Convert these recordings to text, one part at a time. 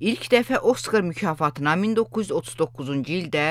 İlk dəfə Oskar mükafatına 1939-cu ildə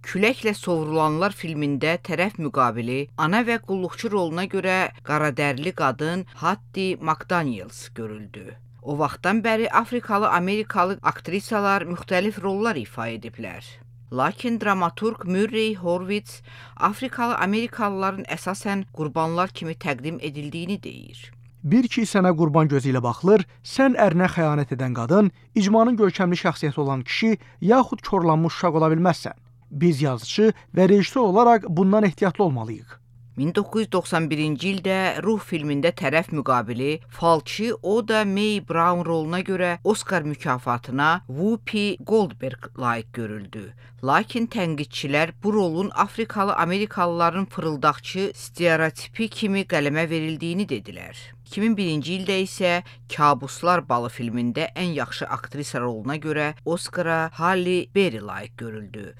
Küləklə Sovrulanlar filmində tərəf müqabili ana və qulluqçu roluna görə qaradərili qadın Hattie McDaniels görüldü. O vaxtdan bəri Afrikalı-Amerikalı aktrisalar müxtəlif rollar ifa ediblər. Lakin dramaturq Murray Horvitz Afrikalı-Amerikalıların əsasən qurbanlar kimi təqdim edildiyini deyir. Bir ki sənə qurban gözü ilə baxılır, sən ərinə xəyanət edən qadın, icmanın görkəmli şəxsiyyəti olan kişi, yaxud korlanmış uşaq ola bilməzsən. Biz yazıcı və rejissor olaraq bundan ehtiyatlı olmalıyıq. 1991-ci ildə Ruh filmində tərəf müqabili falçı Oda Mae Brown roluna görə Oskar mükafatına Whoopi Goldberg layiq görüldü. Lakin tənqidçilər bu rolun Afrikalı-Amerikalıların fırıldaqçı stereotipi kimi qələmə verildiyini dedilər. 2001-ci ildə isə Kabuslar Balı filmində ən yaxşı aktrisa roluna görə Oskara Halle Berry layiq görüldü.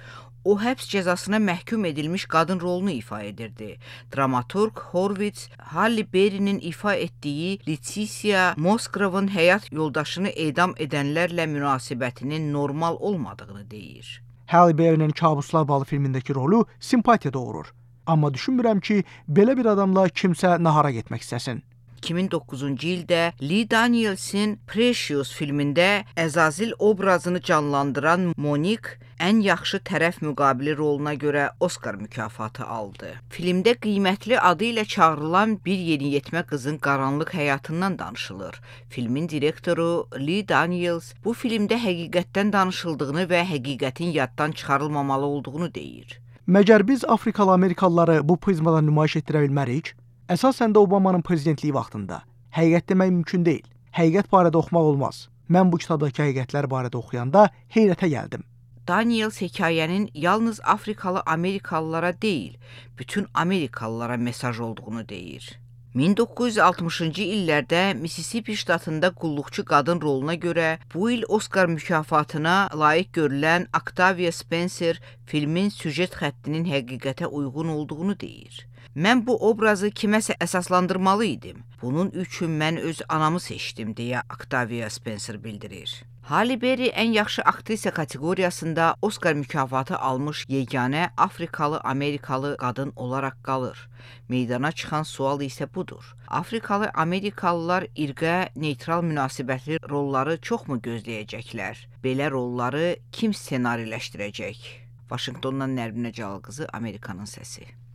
O, həbs cəzasına məhkum edilmiş qadın rolunu ifa edirdi. Dramaturq Horvitz, Halle Berry'nin ifa etdiyi Leticia Moskrovun həyat yoldaşını edam edənlərlə münasibətinin normal olmadığını deyir. Halle Berry'nin Kabuslar Balı filmindəki rolu simpatiya doğurur. Amma düşünmürəm ki, belə bir adamla kimsə nahara getmək istəsin. 2009-cu ildə Lee Daniels'in Precious filmində Əzazil obrazını canlandıran Monique ən yaxşı tərəf müqabili roluna görə Oskar mükafatı aldı. Filmdə qiymətli adı ilə çağrılan bir yeniyetmə qızın qaranlıq həyatından danışılır. Filmin direktoru Lee Daniels bu filmdə həqiqətdən danışıldığını və həqiqətin yaddan çıxarılmamalı olduğunu deyir. Məgər biz Afrikalı-Amerikalıları bu prizmadan nümayiş etdirə bilmərik? Əsasən də Obamanın prezidentliyi vaxtında. Həqiqət demək mümkün deyil. Həqiqət barədə oxumaq olmaz. Mən bu kitabdakı həqiqətlər barədə oxuyanda heyrətə gəldim. Daniels hekayənin yalnız Afrikalı-Amerikalılara deyil, bütün Amerikalılara mesaj olduğunu deyir. 1960-cı illərdə Mississippi ştatında qulluqçu qadın roluna görə bu il Oskar mükafatına layiq görülən Octavia Spencer filmin süjet xəttinin həqiqətə uyğun olduğunu deyir. Mən bu obrazı kiməsə əsaslandırmalı idim. Bunun üçün mən öz anamı seçdim, deyə Octavia Spencer bildirir. Halle Berry ən yaxşı aktrisa kateqoriyasında Oskar mükafatı almış yeganə Afrikalı-Amerikalı qadın olaraq qalır. Meydana çıxan sual isə budur. Afrikalı-Amerikalılar irqə neytral münasibətli rolları çoxmu gözləyəcəklər? Belə rolları kim ssenariləşdirəcək? Vaşinqtondan Nərminə Cəlal qızı, Amerikanın səsi.